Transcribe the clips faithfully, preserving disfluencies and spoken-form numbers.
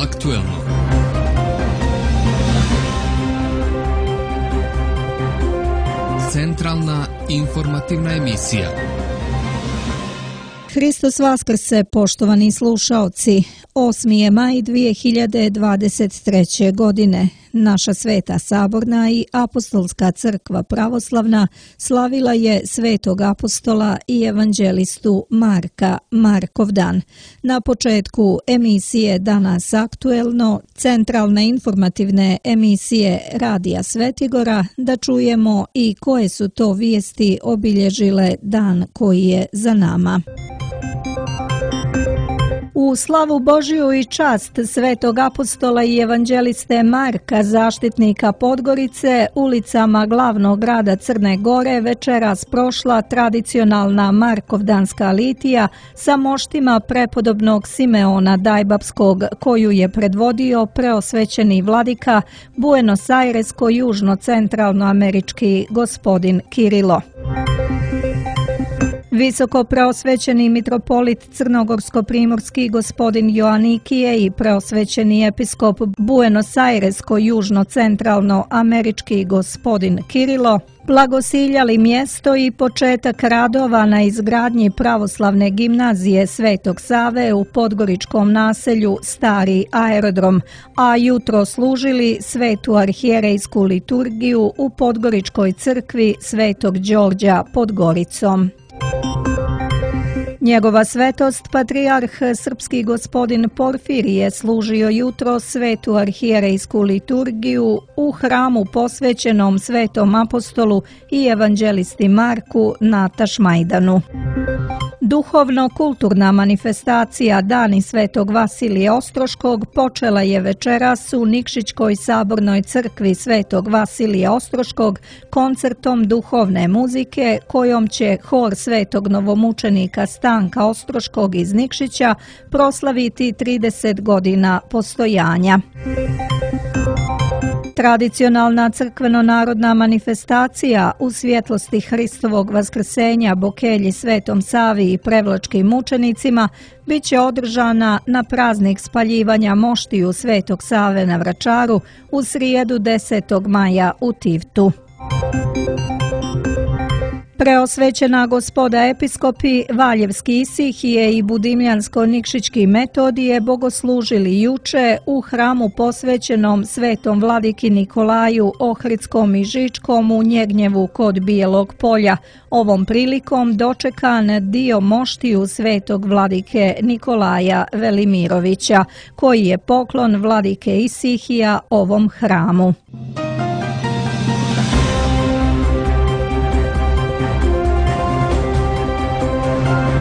aktuelno. Centralna informativna emisija. Hristos vaskrse, poštovani slušaoci. osmi je maj dvije hiljade dvadeset treće. godine. Naša Sveta Saborna i Apostolska crkva pravoslavna slavila je Svetog apostola i evanđelistu Marka, Markovdan. Na početku emisije Danas aktuelno, centralne informativne emisije Radija Svetigora, da čujemo i koje su to vijesti obilježile dan koji je za nama. U slavu Božiju i čast Svetog apostola i evanđeliste Marka, zaštitnika Podgorice, ulicama glavnog grada Crne Gore večeras prošla tradicionalna Markovdanska litija sa moštima prepodobnog Simeona Dajbapskog, koju je predvodio preosvećeni vladika Buenos Airesko-južno-centralnoamerički gospodin Kirilo. Visoko preosvećeni mitropolit crnogorsko-primorski gospodin Joanikije i preosvećeni episkop Buenos Airesko-južno-centralno-američki gospodin Kirilo blagosiljali mjesto i početak radova na izgradnji pravoslavne gimnazije Svetog Save u podgoričkom naselju Stari aerodrom, a jutro služili svetu arhijerejsku liturgiju u podgoričkoj crkvi Svetog Đorđa pod Goricom. Njegova svetost, patrijarh srpski gospodin Porfirije, služio jutro svetu arhijerejsku liturgiju u hramu posvećenom Svetom apostolu i evanđelisti Marku na Tašmajdanu. Duhovno-kulturna manifestacija Dani Svetog Vasilija Ostroškog počela je večeras u Nikšićkoj sabornoj crkvi Svetog Vasilija Ostroškog koncertom duhovne muzike kojom će hor Svetog novomučenika Stanka Ostroškog iz Nikšića proslaviti trideset godina postojanja. Tradicionalna crkveno-narodna manifestacija u svjetlosti Hristovog vaskrsenja Bokelji Svetom Savi i prevlačkim mučenicima bit će održana na praznik spaljivanja moštiju Svetog Save na Vračaru u srijedu desetog maja u Tivtu. Preosvećena gospoda episkopi Valjevski Isihije i Budimljansko-Nikšićki Metodije bogoslužili juče u hramu posvećenom Svetom vladiki Nikolaju Ohridskom i Žičkom u Njegnjevu kod Bijelog polja. Ovom prilikom dočekan dio moštiju Svetog vladike Nikolaja Velimirovića, koji je poklon vladike Isihija ovom hramu.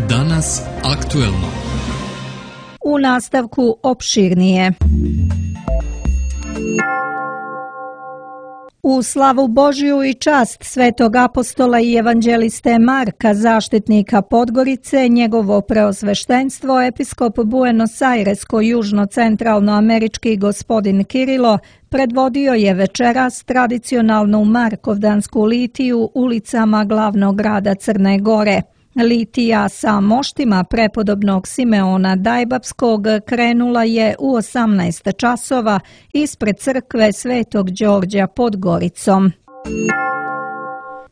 Danas aktuelno. U nastavku opširnije. U slavu Božiju i čast Svetog apostola i evanđeliste Marka, zaštitnika Podgorice, njegovo preosveštenstvo, episkop Buenos Airesko-južno-centralnoamerički gospodin Kirilo predvodio je večeras tradicionalnu Markovdansku litiju ulicama glavnog grada Crne Gore. Litija sa moštima prepodobnog Simeona Dajbapskog krenula je u osamnaest časova ispred crkve Svetog Đorđa pod Goricom.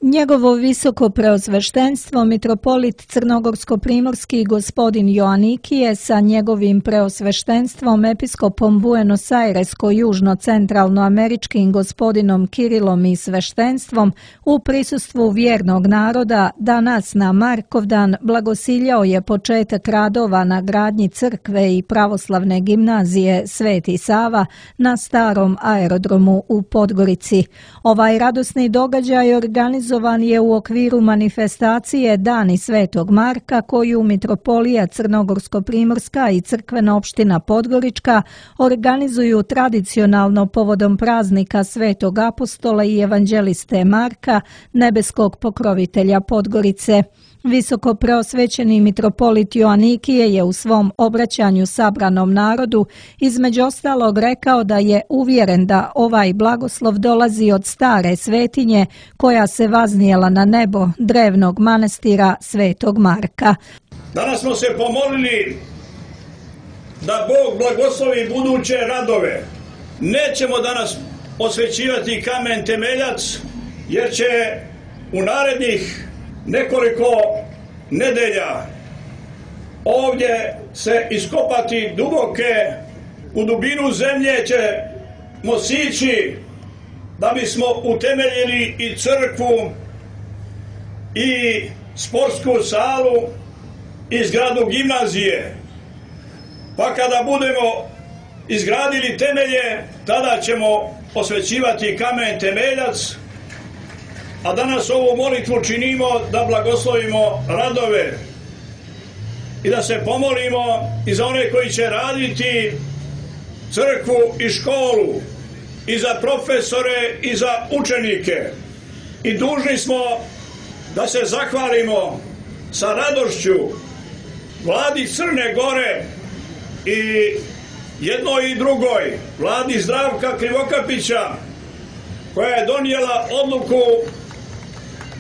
Njegovo visoko preosveštenstvo mitropolit crnogorsko-primorski gospodin Joanikije sa njegovim preosveštenstvom episkopom Buenos Airesko-južno-centralnoameričkim gospodinom Kirilom i sveštenstvom u prisustvu vjernog naroda danas na Markovdan blagosiljao je početak radova na gradnji crkve i pravoslavne gimnazije Sveti Sava na Starom aerodromu u Podgorici. Ovaj radosni događaj organizovan je u okviru manifestacije Dani Svetog Marka koju Mitropolija Crnogorsko-primorska i crkvena opština Podgorička organizuju tradicionalno povodom praznika Svetog apostola i evanđeliste Marka, nebeskog pokrovitelja Podgorice. Visoko preosvećeni mitropolit Joanikije je u svom obraćanju sabranom narodu između ostalog rekao da je uvjeren da ovaj blagoslov dolazi od stare svetinje koja se vaznijela na nebo drevnog manastira Svetog Marka. Danas smo se pomolili da Bog blagoslovi buduće radove. Nećemo danas posvećivati kamen temeljac, jer će u narednih nekoliko nedelja ovdje se iskopati duboke, u dubinu zemlje ćemo sići da bismo utemeljili i crkvu i sportsku salu i zgradu gimnazije. Pa kada budemo izgradili temelje, tada ćemo posvećivati kamen temeljac, a danas ovu molitvu činimo da blagoslovimo radove i da se pomolimo i za one koji će raditi crkvu i školu, i za profesore i za učenike. I dužni smo da se zahvalimo sa radošću vladi Crne Gore i jednoj i drugoj, vladi Zdravka Krivokapića, koja je donijela odluku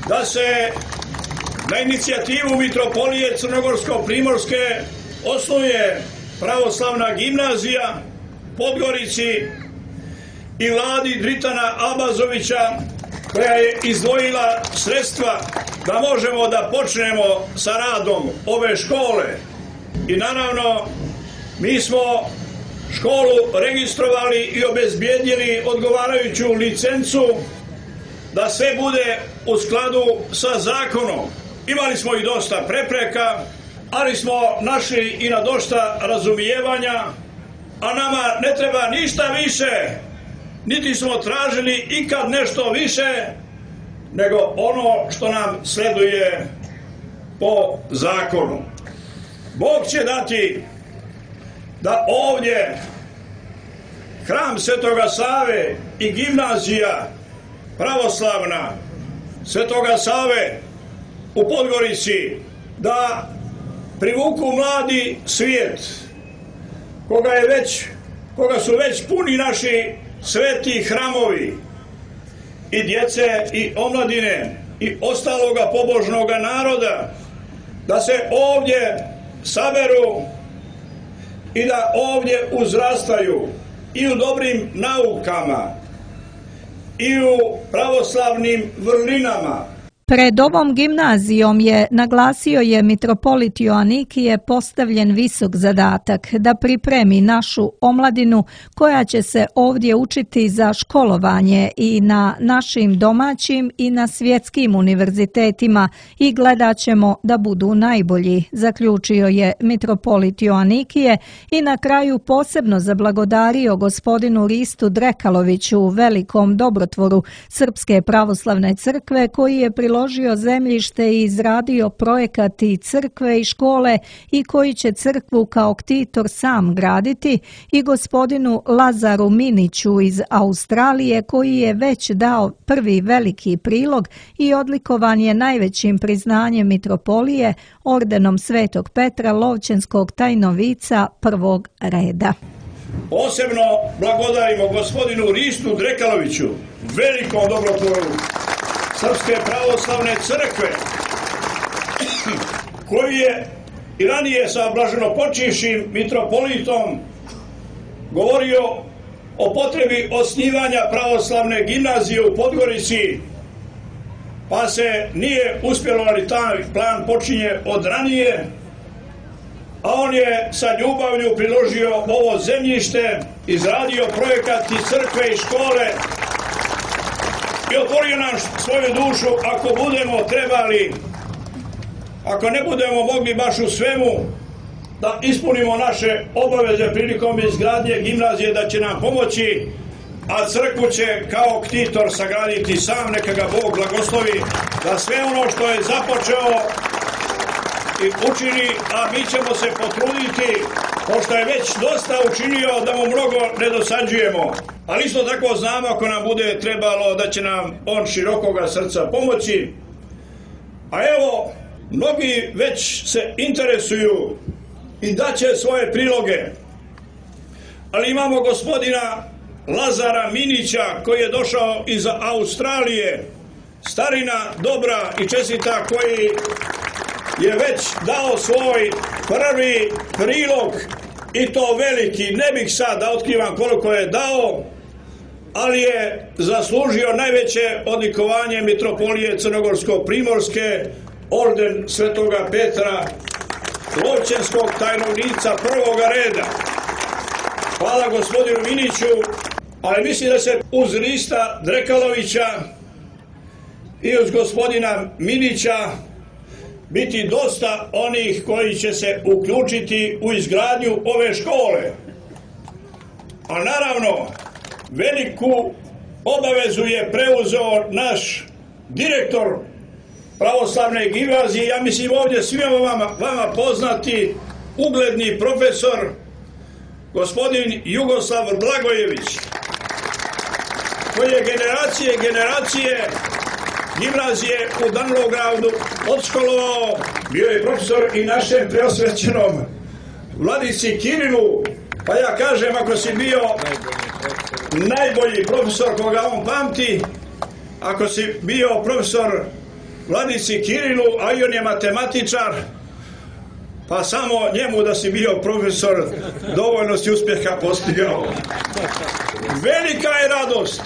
da se na inicijativu Mitropolije Crnogorsko-Primorske osnuje pravoslavna gimnazija u Podgorici, i vladi Dritana Abazovića, koja je izdvojila sredstva da možemo da počnemo sa radom ove škole. I naravno, mi smo školu registrovali i obezbijedili odgovarajuću licencu da sve bude u skladu sa zakonom. Imali smo i dosta prepreka, ali smo našli i na dosta razumijevanja, a nama ne treba ništa više, niti smo tražili ikad nešto više, nego ono što nam sleduje po zakonu. Bog će dati da ovdje hram Svetoga Save i gimnazija pravoslavna Svetoga Save u Podgorici da privuku mladi svijet, koga je već, koga su već puni naši sveti hramovi i djece i omladine i ostaloga pobožnoga naroda, da se ovdje saberu i da ovdje uzrastaju i u dobrim naukama i u pravoslavnim vrlinama. Pred ovom gimnazijom je, naglasio je mitropolit Joanikije, postavljen visok zadatak da pripremi našu omladinu koja će se ovdje učiti za školovanje i na našim domaćim i na svjetskim univerzitetima i gledat ćemo da budu najbolji, zaključio je mitropolit Joanikije i na kraju posebno zablagodario gospodinu Ristu Drekaloviću, velikom dobrotvoru Srpske pravoslavne crkve, koji je priložio zemljište i izradio projekat i crkve i škole i koji će crkvu kao ktitor sam graditi, i gospodinu Lazaru Miniću iz Australije, koji je već dao prvi veliki prilog i odlikovan je najvećim priznanjem mitropolije, ordenom Svetog Petra Lovćenskog tajnovica prvog reda. Posebno blagodarimo gospodinu Ristu Drekaloviću, velikom dobrotvoru Srpske pravoslavne crkve, koji je i ranije sa blaženopočivšim mitropolitom govorio o potrebi osnivanja pravoslavne gimnazije u Podgorici, pa se nije uspjelo, ali taj plan počinje od ranije, a on je sa ljubavlju priložio ovo zemljište, izradio projekat i crkve i škole i otvorio nam svoju dušu ako budemo trebali, ako ne budemo mogli baš u svemu da ispunimo naše obaveze prilikom izgradnje gimnazije, da će nam pomoći, a crkvu će kao ktitor sagraditi sam, neka ga Bog blagoslovi, da sve ono što je započeo i učini, a mi ćemo se potruditi, pošto je već dosta učinio, da mu mnogo ne dosađujemo. Ali isto tako znamo, ako nam bude trebalo, da će nam on širokoga srca pomoći. A evo, mnogi već se interesuju i daće svoje priloge. Ali imamo gospodina Lazara Minića, koji je došao iz Australije, starina dobra i čestita, koji je već dao svoj prvi prilog i to veliki, ne bih sad da otkrivam koliko je dao, ali je zaslužio najveće odlikovanje Mitropolije Crnogorsko-Primorske, orden Svetoga Petra, Lovćenskog tajnovnica prvoga reda. Hvala gospodinu Miniću, ali mislim da se uz Rista Drekalovića i uz gospodina Minića biti dosta onih koji će se uključiti u izgradnju ove škole. A naravno, veliku obavezu je preuzeo naš direktor pravoslavne gimnazije, ja mislim ovdje svima vama, vama poznati, ugledni profesor, gospodin Jugoslav Blagojević, koji je generacije i generacije gimnazije u Danilovgradu odškolovao, bio je profesor i našem preosvećenom Vladici Kirilu, pa ja kažem, ako si bio najbolji profesor koga on pamti, ako si bio profesor Vladici Kirilu, a i on je matematičar, pa samo njemu da si bio profesor dovoljno si uspjeha postigao. Velika je radost,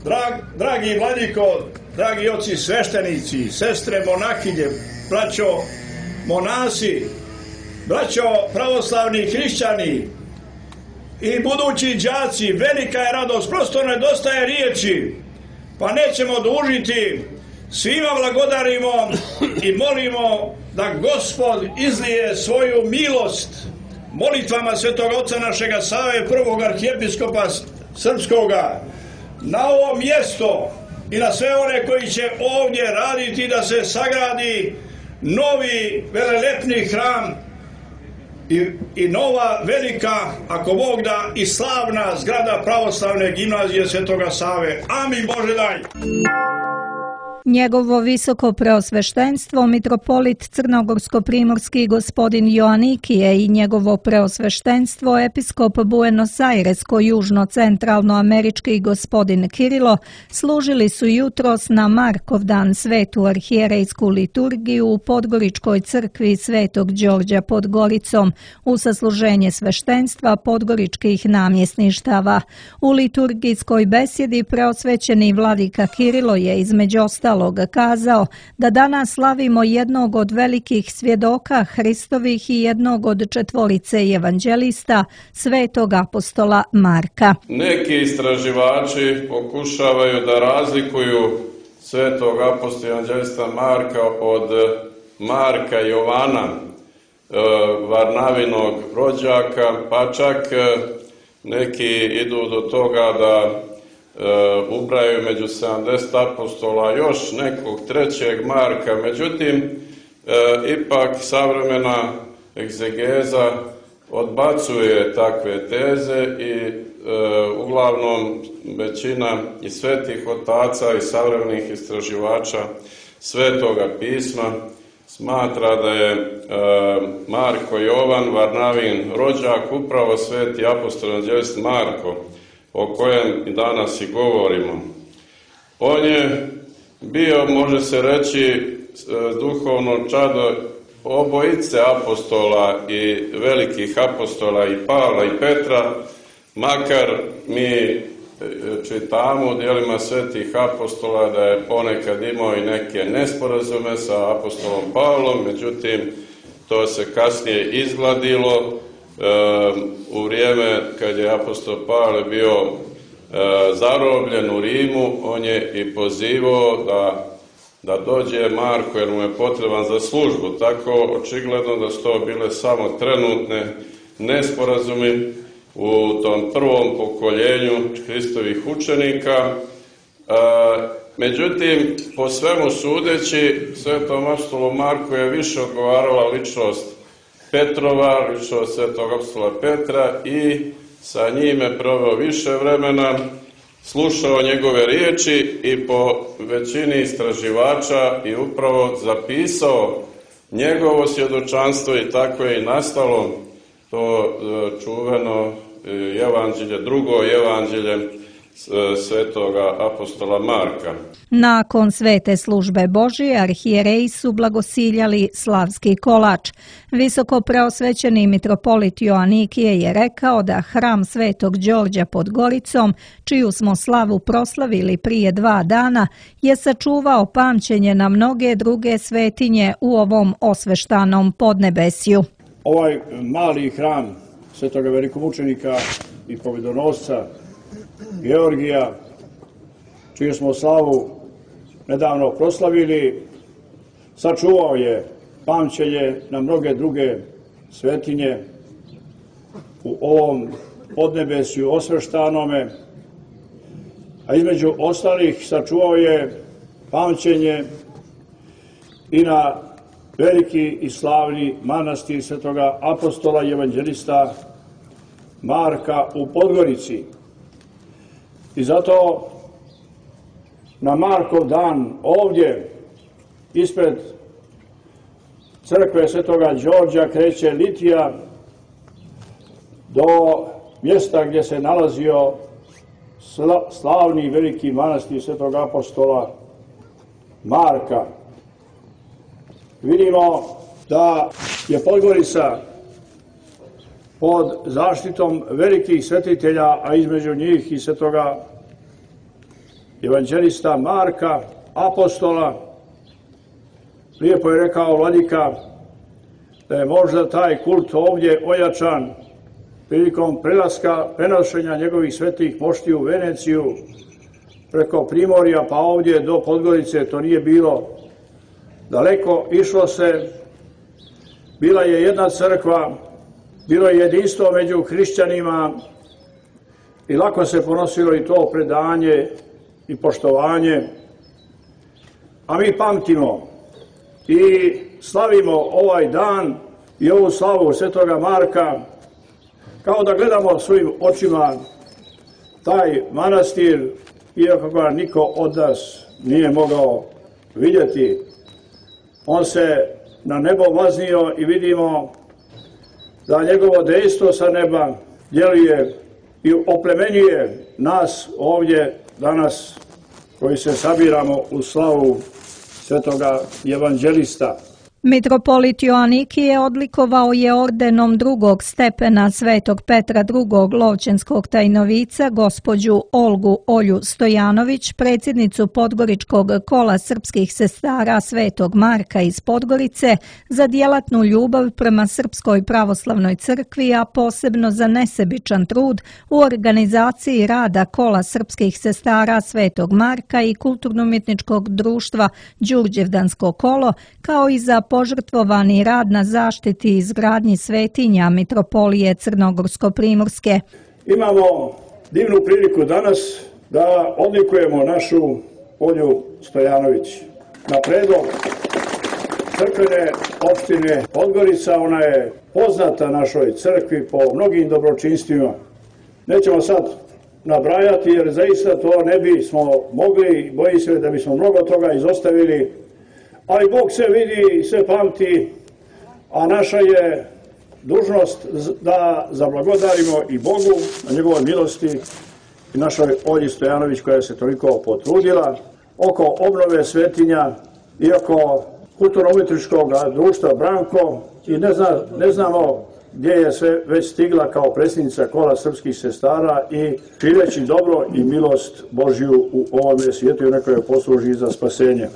Drag, dragi Vladiko, dragi oci sveštenici, sestre monahinje, braćo monasi, braćo pravoslavni hrišćani i budući đaci, velika je radost, prosto nedostaje riječi, pa nećemo dužiti, svima blagodarimo i molimo da Gospod izlije svoju milost molitvama Svetog Oca našega Save, prvog arhijepiskopa srpskoga, na ovo mjesto i na sve one koji će ovdje raditi da se sagradi novi velelepni hram i, i nova velika, ako Bog da, i slavna zgrada pravoslavne gimnazije Svetoga Save. Amin Bože daj! Njegovo visoko preosveštenstvo mitropolit Crnogorsko-primorski gospodin Joanikije i njegovo preosveštenstvo episkop Buenos Airesko-južno-centralnoamerički gospodin Kirilo služili su jutros na Markovdan svetu arhijerejsku liturgiju u Podgoričkoj crkvi Svetog Đorđa pod Goricom u sasluženje sveštenstva podgoričkih namjesništava. U liturgijskoj besjedi preosvećeni vladika Kirilo je između ostalog kazao da danas slavimo jednog od velikih svjedoka Hristovih i jednog od četvorice evanđelista, svetog apostola Marka. Neki istraživači pokušavaju da razlikuju svetog apostola evanđelista Marka od Marka Jovana, Varnavinog rođaka, pa čak neki idu do toga da Uh, ubraju među sedamdeset apostola još nekog trećeg Marka. Međutim, uh, ipak savremena egzegeza odbacuje takve teze i uh, uglavnom većina i svetih otaca i savremenih istraživača Svetoga pisma smatra da je uh, Marko Jovan, Varnavin rođak, upravo sveti apostol evanđelist Marko, o kojem i danas i govorimo. On je bio, može se reći, duhovno čado obojice apostola i velikih apostola i Pavla i Petra, makar mi čitamo u djelima svetih apostola da je ponekad imao i neke nesporazume sa apostolom Pavlom, međutim to se kasnije izgladilo. U vrijeme kad je apostol Pavle bio zarobljen u Rimu, on je i pozivao da, da dođe Marko jer mu je potreban za službu. Tako očigledno da su to bile samo trenutne nesporazumi u tom prvom pokoljenju Hristovih učenika. Međutim, po svemu sudeći, svetom apostolu Marku je više odgovarala ličnost Petrova, ličnost svetog apostola Petra, i sa njime proveo više vremena, slušao njegove riječi i po većini istraživača i upravo zapisao njegovo svjedočanstvo, i tako je i nastalo to čuveno evanđelje, drugo evanđelje svetoga apostola Marka. Nakon svete službe Božije, arhijereji su blagosiljali slavski kolač. Visoko preosvećeni mitropolit Joanikije je rekao da hram Svetog Đorđa pod Goricom, čiju smo slavu proslavili prije dva dana, je sačuvao pamćenje na mnoge druge svetinje u ovom osveštanom podnebesju. Ovaj mali hram Svetoga velikomučenika i pobjedonosca Georgija, čiju smo slavu nedavno proslavili, sačuvao je pamćenje na mnoge druge svetinje u ovom podnebesju osveštanome, a između ostalih sačuvao je pamćenje i na veliki i slavni manastir Svetoga apostola i evanđelista Marka u Podgorici. I zato na Markov dan ovdje ispred crkve Svetoga Đorđa kreće litija do mjesta gdje se nalazio slavni veliki manastir Svetog apostola Marka. Vidimo da je Podgorica pod zaštitom velikih svetitelja, a između njih i svetoga evanđelista Marka, apostola. Lijepo je rekao vladika da je možda taj kult ovdje ojačan prilikom prelaska, prenošenja njegovih svetih mošti u Veneciju preko Primorja pa ovdje do Podgorice. To nije bilo daleko, išlo se, bila je jedna crkva, bilo je jedinstvo među hrišćanima i lako se ponosilo i to predanje i poštovanje. A mi pamtimo i slavimo ovaj dan i ovu slavu Svetoga Marka kao da gledamo svojim očima taj manastir, iako ga niko od nas nije mogao vidjeti. On se na nebo vaznio i vidimo da njegovo dejstvo sa neba djeluje i oplemenjuje nas ovdje danas koji se sabiramo u slavu svetoga evanđelista. Mitropolit Joanikije odlikovao je ordenom drugog stepena Svetog Petra drugog Lovćenskog tajnovica gospođu Olgu Olju Stojanović, predsjednicu Podgoričkog kola srpskih sestara Svetog Marka iz Podgorice, za djelatnu ljubav prema Srpskoj pravoslavnoj crkvi, a posebno za nesebičan trud u organizaciji rada kola srpskih sestara Svetog Marka i kulturno-umjetničkog društva Đurđevdansko kolo, kao i za požrtvovani rad na zaštiti i izgradnji svetinja Mitropolije Crnogorsko-Primorske. Imamo divnu priliku danas da odlikujemo našu Olju Stojanović. Na predlog crkvene opštine Podgorica, ona je poznata našoj crkvi po mnogim dobročinstvima. Nećemo sad nabrajati jer zaista to ne bismo mogli, boji se da bismo mnogo toga izostavili. Ali Bog se vidi i sve pamti, a naša je dužnost da zablagodarimo i Bogu na njegovoj milosti i našoj Olji Stojanović koja se toliko potrudila oko obnove svetinja i oko kulturno-umjetničkog društva Branko i ne, zna, ne znamo gdje je sve već stigla kao predsjednica kola srpskih sestara i šireći dobro i milost Božju u ovome svijetu i neka joj posluži za spasenje.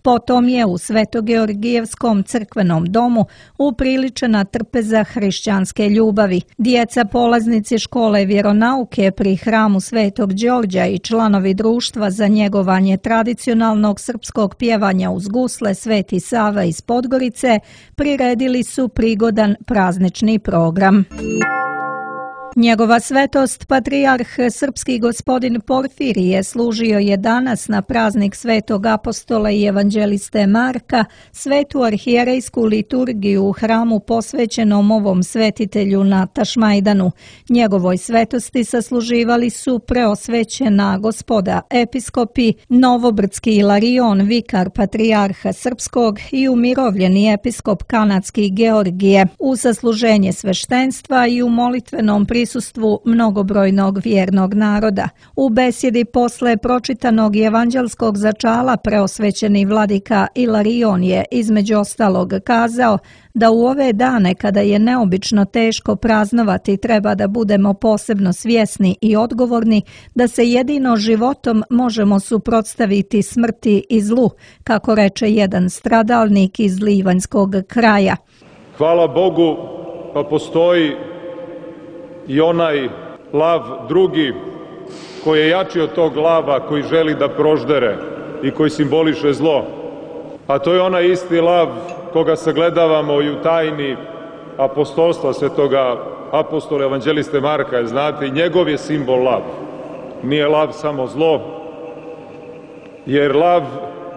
Potom je u Svetogeorgijevskom crkvenom domu upriličena trpeza hrišćanske ljubavi. Djeca polaznici škole vjeronauke pri hramu Svetog Đorđa i članovi društva za njegovanje tradicionalnog srpskog pjevanja uz gusle Sveti Sava iz Podgorice priredili su prigodan praznični program. Njegova svetost, patrijarh srpski gospodin Porfirije, služio je danas na praznik Svetog apostola i evanđeliste Marka svetu arhijerejsku liturgiju u hramu posvećenom ovom svetitelju na Tašmajdanu. Njegovoj svetosti sasluživali su preosvećena gospoda episkopi, novobrdski Ilarion, vikar patrijarha srpskog i umirovljeni episkop kanadski Georgije. U sasluženje sveštenstva i u molitvenom priliku prisustvu mnogobrojnog vjernog naroda. U besjedi posle pročitanog evanđelskog začala preosvećeni vladika Ilarion je između ostalog kazao da u ove dane kada je neobično teško praznovati treba da budemo posebno svjesni i odgovorni da se jedino životom možemo suprotstaviti smrti i zlu, kako reče jedan stradalnik iz Livanjskog kraja. Hvala Bogu, pa postoji i onaj lav drugi koji je jači od tog lava koji želi da proždere i koji simboliše zlo. A to je onaj isti lav koga sagledavamo i u tajni apostolstva svetoga apostola evanđeliste Marka, znate, i njegov je simbol lav. Nije lav samo zlo, jer lav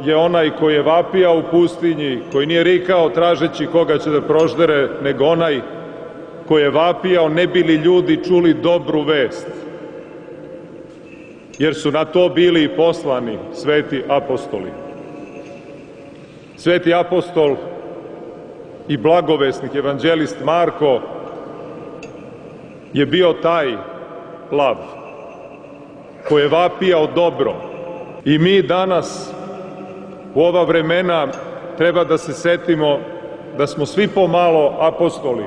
je onaj koji je vapija u pustinji, koji nije rikao tražeći koga će da proždere, nego onaj koji je vapijao ne bi li ljudi čuli dobru vest. Jer su na to bili i poslani sveti apostoli. Sveti apostol i blagovesnik, evanđelist Marko, je bio taj lav koji je vapijao dobro. I mi danas, u ova vremena, treba da se setimo da smo svi pomalo apostoli.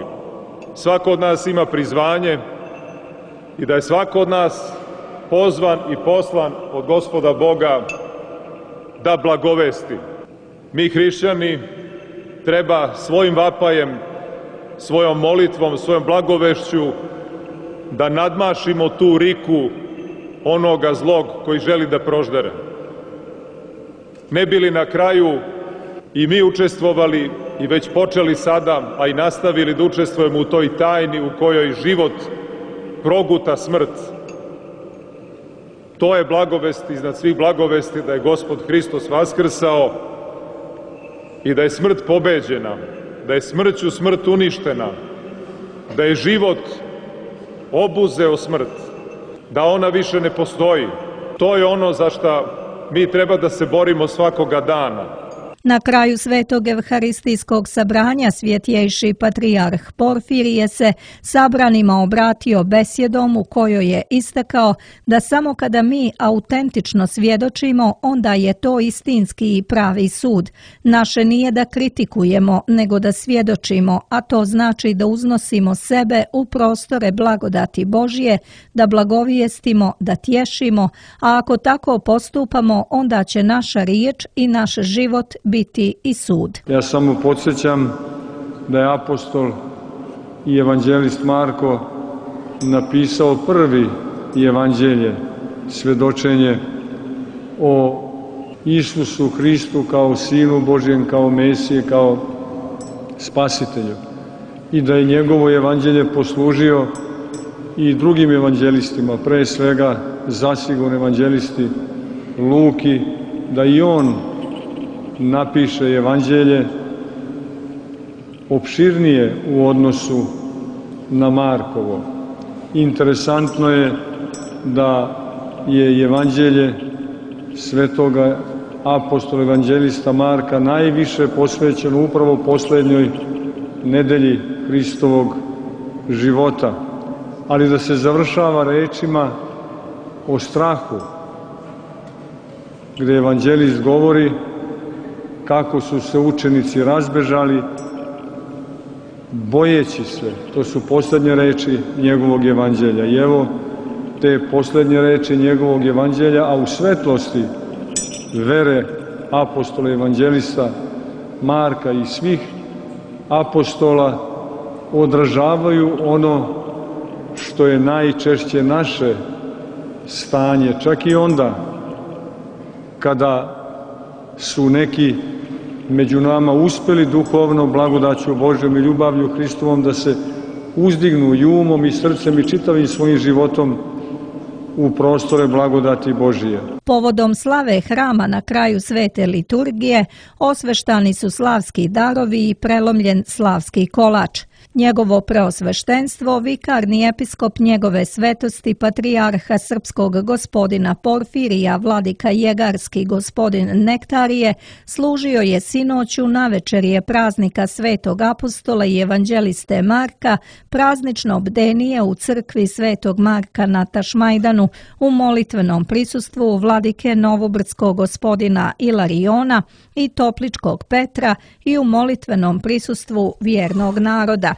Svako od nas ima prizvanje i da je svako od nas pozvan i poslan od Gospoda Boga da blagovesti. Mi hrišćani treba svojim vapajem, svojom molitvom, svojom blagovešću da nadmašimo tu riku onoga zlog koji želi da proždere. Ne bi li na kraju i mi učestvovali i već počeli sada, a i nastavili da učestvujemo u toj tajni u kojoj život proguta smrt. To je blagovest iznad svih blagovesti, da je Gospod Hristos vaskrsao i da je smrt pobeđena, da je smrću smrt uništena, da je život obuzeo smrt, da ona više ne postoji. To je ono za što mi treba da se borimo svakoga dana. Na kraju svetog evharistijskog sabranja svjetjejši patrijarh Porfirije se sabranima obratio besjedom u kojoj je istakao da samo kada mi autentično svjedočimo, onda je to istinski i pravi sud. Naše nije da kritikujemo, nego da svjedočimo, a to znači da uznosimo sebe u prostore blagodati Božje, da blagovijestimo, da tješimo, a ako tako postupamo, onda će naša riječ i naš život biti i sud. Ja samo podsjećam da je apostol i evanđelist Marko napisao prvi evanđelje, svjedočenje o Isusu Hristu kao Sinu Božjem, kao Mesije, kao Spasitelju. I da je njegovo evanđelje poslužio i drugim evanđelistima, pre svega zasigurno evanđelisti Luki, da i on napiše evanđelje opširnije u odnosu na Markovo. Interesantno je da je evanđelje svetoga apostola evanđelista Marka najviše posvećeno upravo poslednjoj nedelji Hristovog života, ali da se završava rečima o strahu, gde evanđelist govori kako su se učenici razbežali, bojeći se. To su poslednje reči njegovog evanđelja. I evo te poslednje reči njegovog evanđelja, a u svetlosti vere apostola evanđelista Marka i svih apostola odražavaju ono što je najčešće naše stanje, čak i onda kada su neki među nama uspeli duhovno blagodaću Božjom i ljubavlju Hristovom da se uzdignu i umom i srcem i čitavim svojim životom u prostore blagodati Božije. Povodom slave hrama na kraju svete liturgije osveštani su slavski darovi i prelomljen slavski kolač. Njegovo preosveštenstvo, vikarni episkop njegove svetosti patrijarha srpskog gospodina Porfirija vladika Jegarski gospodin Nektarije služio je sinoću navečerje praznika Svetog apostola i evanđeliste Marka, praznično bdenije u crkvi Svetog Marka na Tašmajdanu u molitvenom prisustvu vladike Novobrdskog gospodina Ilariona i Topličkog Petra i u molitvenom prisustvu vjernog naroda.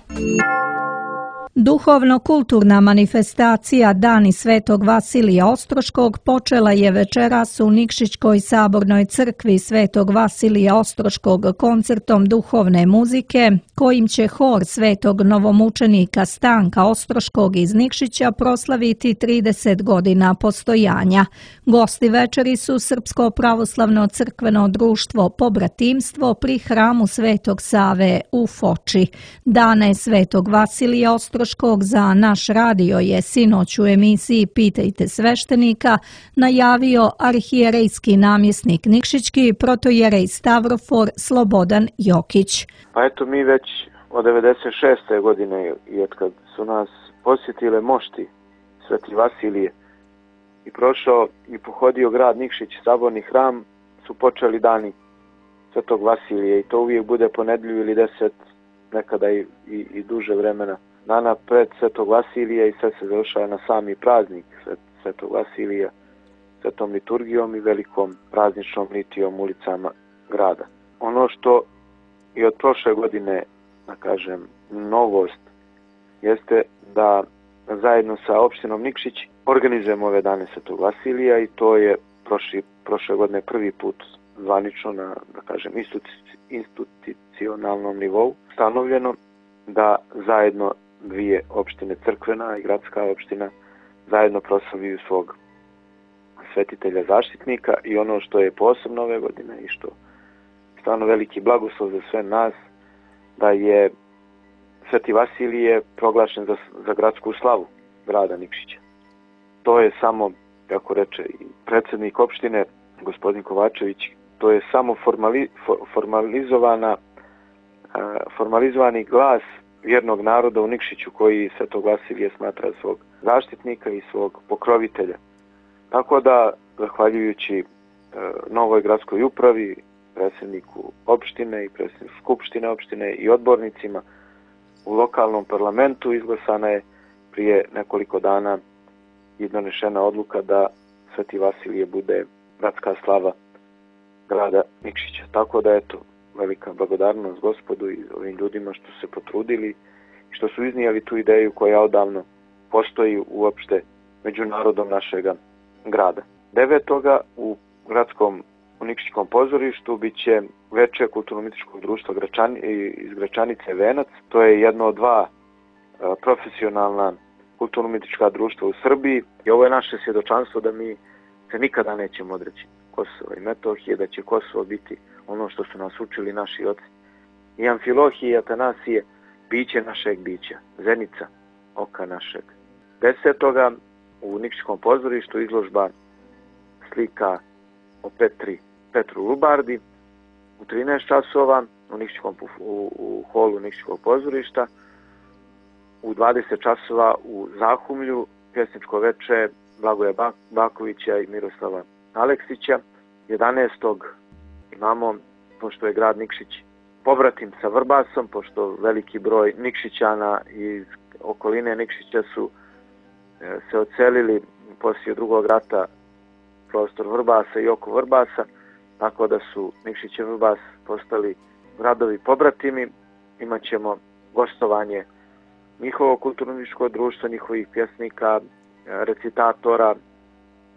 Duhovno-kulturna manifestacija Dani Svetog Vasilija Ostroškog počela je večeras u Nikšićkoj sabornoj crkvi Svetog Vasilija Ostroškog koncertom duhovne muzike, kojim će hor Svetog novomučenika Stanka Ostroškog iz Nikšića proslaviti trideset godina postojanja. Gosti večeri su Srpsko pravoslavno crkveno društvo Pobratimstvo pri hramu Svetog Save u Foči. Dane Svetog Vasilija Ostroškog za naš radio je sinoć u emisiji Pitajte sveštenika najavio arhijerejski namjesnik Nikšićki protojerej Stavrofor Slobodan Jokić. Pa eto, mi već od devedeset šeste godine i od kad su nas posjetile mošti Sveti Vasilije i prošao i pohodio grad Nikšić, saborni hram, su počeli dani Svetog Vasilije i to uvijek bude po nedelju ili deset, nekada i, i, i duže vremena dana pred Svetog Vasilija i sve se završava na sami praznik Svetog Vasilija, svetom liturgijom i velikom prazničnom litijom ulicama grada. Ono što i od prošle godine, da kažem, novost, jeste da zajedno sa opštinom Nikšić organizujemo ove dane Svetog Vasilija i to je prošli, prošle godine prvi put zvanično na, da kažem, institucionalnom nivou stanovljeno da zajedno dvije opštine, crkvena i gradska opština, zajedno proslavljaju svog svetitelja zaštitnika i ono što je posebno ove godine i što je stvarno veliki blagoslov za sve nas, da je Sveti Vasilije proglašen za, za gradsku slavu grada Nikšića. To je samo, kako reče i predsjednik opštine, gospodin Kovačević, to je samo formali, formalizovana, formalizovani glas vjernog naroda u Nikšiću koji Svetog Vasilija smatra svog zaštitnika i svog pokrovitelja. Tako da, zahvaljujući e, novoj gradskoj upravi, predsjedniku opštine i predsjedniku skupštine opštine i odbornicima u lokalnom parlamentu izglasana je prije nekoliko dana i donešena odluka da Sveti Vasilije bude gradska slava grada Nikšića. Tako da, eto, velika blagodarnost Gospodu i ovim ljudima što se potrudili i što su iznijeli tu ideju koja odavno postoji uopšte među narodom našega grada. Devetoga u gradskom u Nikšićkom pozorištu bit će veče kulturno-umjetničkog društva Gračani, iz Gračanice Venac. To je jedno od dva a, profesionalna kulturno-umjetnička društva u Srbiji i ovo je naše svjedočanstvo da mi se nikada nećemo odreći Kosova i Metohije, da će Kosovo biti ono što su nas učili naši oci. I Amfilohije i Atanasije, biće našeg bića, zenica oka našeg. Desetoga u Nikšićkom pozorištu izložba slika o Petri, Petru Lubardi u trinaest časova u, Nikšićkom, u, u holu Nikšićkog pozorišta. U dvadeset časova u Zahumlju pjesničko veče Blagoja Bakovića i Miroslava Aleksića. jedanaestog imamo, pošto je grad Nikšić pobratim sa Vrbasom, pošto veliki broj Nikšićana iz okoline Nikšića su e, se odselili poslije drugog rata prostor Vrbasa i oko Vrbasa, tako da su Nikšić i Vrbas postali gradovi pobratimi. Imaćemo gostovanje njihovo kulturno-umjetničko društvo, njihovih pjesnika, recitatora,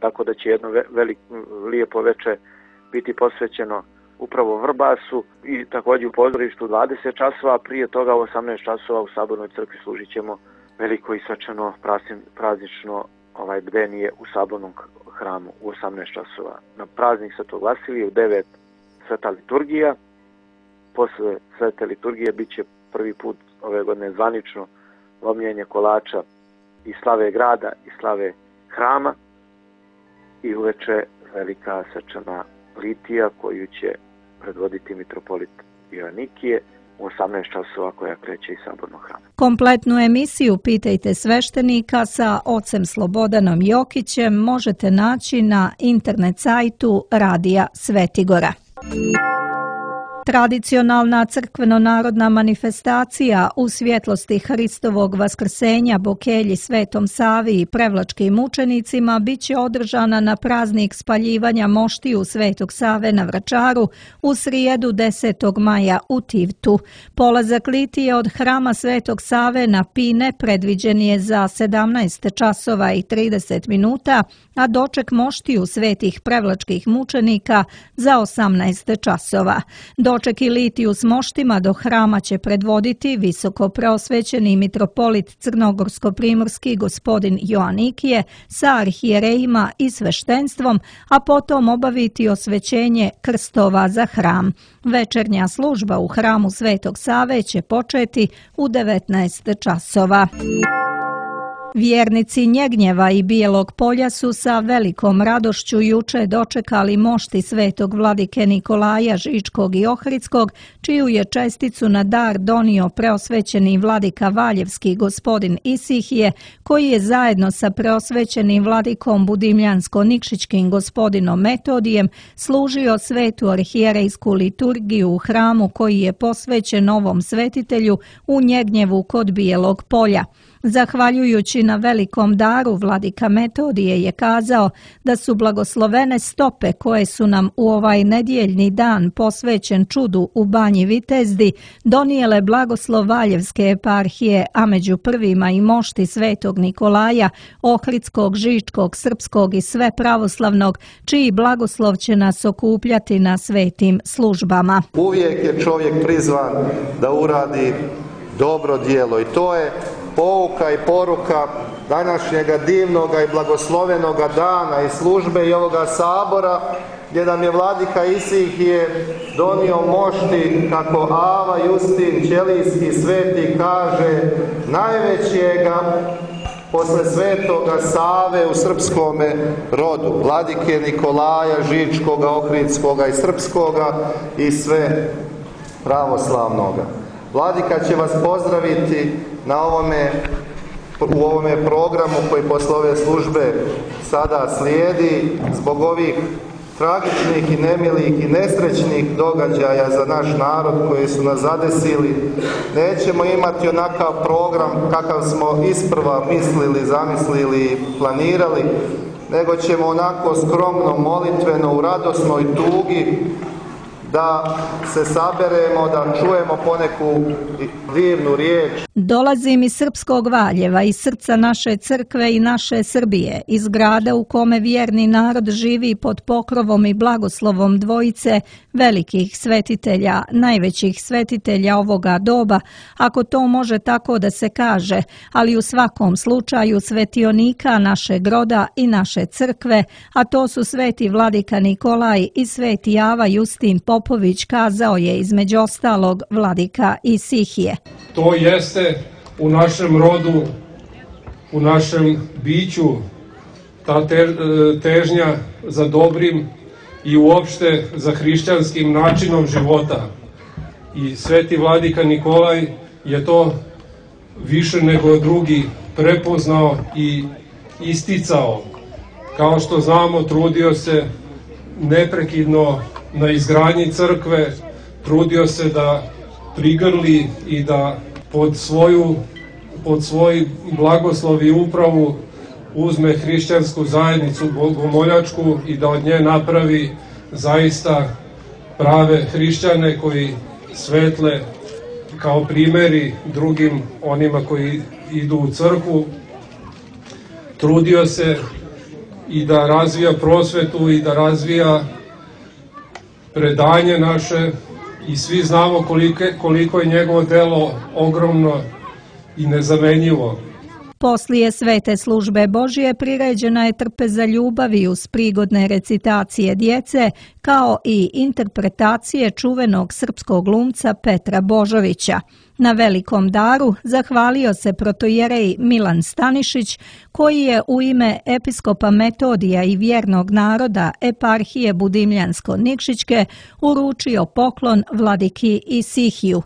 tako da će jedno veliko lijepo veče biti posvećeno upravo Vrbasu i također u pozorištu dvadeset časova, prije toga u osamnaest časova u Sabornoj crkvi služit ćemo veliko i svečano praznično ovaj bdenije u Sabornom hramu u osamnaest časova. Na praznik Svetog Vasilija u devet sveta liturgija. Posle svete liturgije bit će prvi put ove godine zvanično lomljenje kolača i slave grada i slave hrama i uveče velika svečana litija koju će predvoditi mitropolit Joanikije u osamnaest časova koja kreće iz sabornog hrama. Kompletnu emisiju Pitajte sveštenika sa ocem Slobodanom Jokićem možete naći na internet sajtu Radija Svetigora. Tradicionalna crkveno-narodna manifestacija u svjetlosti Hristovog vaskrsenja Bokelji Svetom Savi i prevlačkim mučenicima bit će održana na praznik spaljivanja moštiju Svetog Save na Vračaru u srijedu desetog maja u Tivtu. Polazak litije od hrama Svetog Save na Pine predviđen je za sedamnaest časova i trideset minuta, a doček moštiju svetih prevlačkih mučenika za osamnaest časova. Doček i litiju s moštima do hrama će predvoditi visoko preosvećeni mitropolit crnogorsko-primorski gospodin Joanikije sa arhijerejima i sveštenstvom, a potom obaviti osvećenje krstova za hram. Večernja služba u hramu Svetog Save će početi u devetnaest časova. Vjernici Njegnjeva i Bijelog Polja su sa velikom radošću juče dočekali mošti svetog vladike Nikolaja Žičkog i Ohridskog, čiju je česticu na dar donio preosvećeni vladika Valjevski gospodin Isihije, koji je zajedno sa preosvećenim vladikom Budimljansko-Nikšićkim gospodinom Metodijem služio svetu arhijerejsku liturgiju u hramu koji je posvećen ovom svetitelju u Njegnjevu kod Bijelog Polja. Zahvaljujući na velikom daru, vladika Metodije je kazao da su blagoslovene stope koje su nam u ovaj nedjeljni dan posvećen čudu u Banji Vitezdi donijele blagoslov Valjevske eparhije, a među prvima i mošti svetog Nikolaja, Ohridskog, Žičkog, Srpskog i sve pravoslavnog, čiji blagoslov će nas okupljati na svetim službama. Uvijek je čovjek prizvan da uradi dobro djelo i to je pouka i poruka današnjega divnoga i blagoslovenoga dana i službe i ovoga sabora, gdje nam je vladika Isihije donio mošti, kako Ava Justin Ćelijski sveti kaže, najvećega posle Svetoga Save u srpskome rodu, vladike Nikolaja Žičkoga, Ohridskoga i Srpskoga i sve pravoslavnoga. Vladika će vas pozdraviti na ovome, u ovome programu koji posle ove službe sada slijedi zbog ovih tragičnih i nemilih i nesrećnih događaja za naš narod koji su nas zadesili. Nećemo imati onakav program kakav smo isprva mislili, zamislili i planirali, nego ćemo onako skromno, molitveno, u radosnoj tugi da se saberemo, da čujemo poneku divnu riječ. Dolazim iz srpskog Valjeva, iz srca naše crkve i naše Srbije, iz grada u kome vjerni narod živi pod pokrovom i blagoslovom dvojice velikih svetitelja, najvećih svetitelja ovoga doba, ako to može tako da se kaže, ali u svakom slučaju svetionika našeg roda i naše crkve, a to su sveti vladika Nikolaj i sveti Ava Justin Popović, kazao je između ostalog vladika Isihije. To jeste u našem rodu, u našem biću, ta težnja za dobrim i uopšte za hrišćanskim načinom života. I sveti vladika Nikolaj je to više nego drugi prepoznao i isticao. Kao što znamo, trudio se neprekidno na izgradnji crkve, trudio se da prigrli i da pod svoju pod svoj blagoslov i upravu uzme hrišćansku zajednicu bogomoljačku i da od nje napravi zaista prave hrišćane koji svetle kao primjeri drugim onima koji idu u crkvu. Trudio se i da razvija prosvetu i da razvija predanje naše i svi znamo koliko, koliko je njegovo delo ogromno i nezamenjivo. Poslije svete službe Božije priređena je trpeza ljubavi uz prigodne recitacije djece, kao i interpretacije čuvenog srpskog glumca Petra Božovića. Na velikom daru zahvalio se protojerej Milan Stanišić, koji je u ime episkopa Metodija i vjernog naroda eparhije Budimljansko-Nikšićke uručio poklon vladiki Isihiju.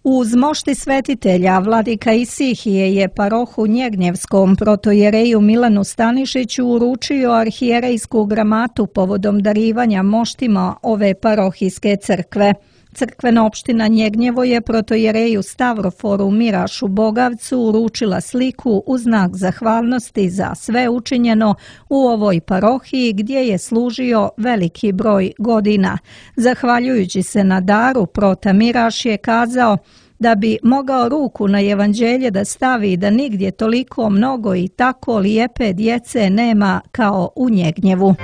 Uz mošti svetitelja vladika Isihije je parohu Njegnjevskom protojereju Milanu Stanišiću uručio arhijerejsku gramatu povodom darivanja moštima ove parohijske crkve. Crkvena opština Njegnjevo je protojereju Stavroforu Mirašu Bogavcu uručila sliku u znak zahvalnosti za sve učinjeno u ovoj parohiji gdje je služio veliki broj godina. Zahvaljujući se na daru, prota Miraš je kazao da bi mogao ruku na evanđelje da stavi da nigdje toliko mnogo i tako lijepe djece nema kao u Njegnjevu.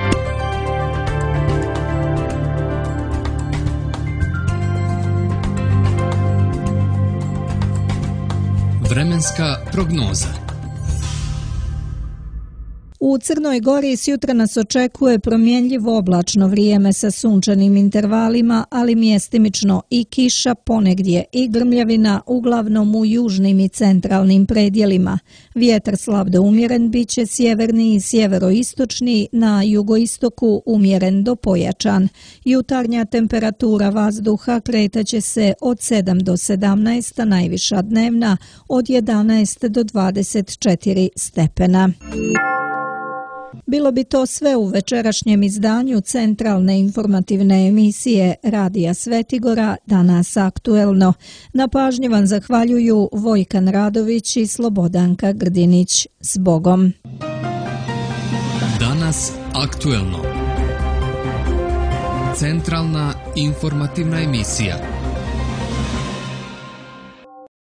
Vremenska prognoza. U Crnoj Gori sjutra nas očekuje promjenjivo oblačno vrijeme sa sunčanim intervalima, ali mjestimično i kiša, ponegdje i grmljavina, uglavnom u južnim i centralnim predjelima. Vjetar slab do umjeren biće sjeverni i sjeveroistočni, na jugoistoku umjeren do pojačan. Jutarnja temperatura vazduha kretaće se od sedam do sedamnaest, a najviša dnevna od jedanaest do dvadeset četiri stepena. Bilo bi to sve u večerašnjem izdanju centralne informativne emisije Radija Svetigora, danas aktuelno. Na pažnji vam zahvaljuju Vojkan Radović i Slobodanka Grdinić. S Bogom. Danas aktuelno. Centralna informativna emisija.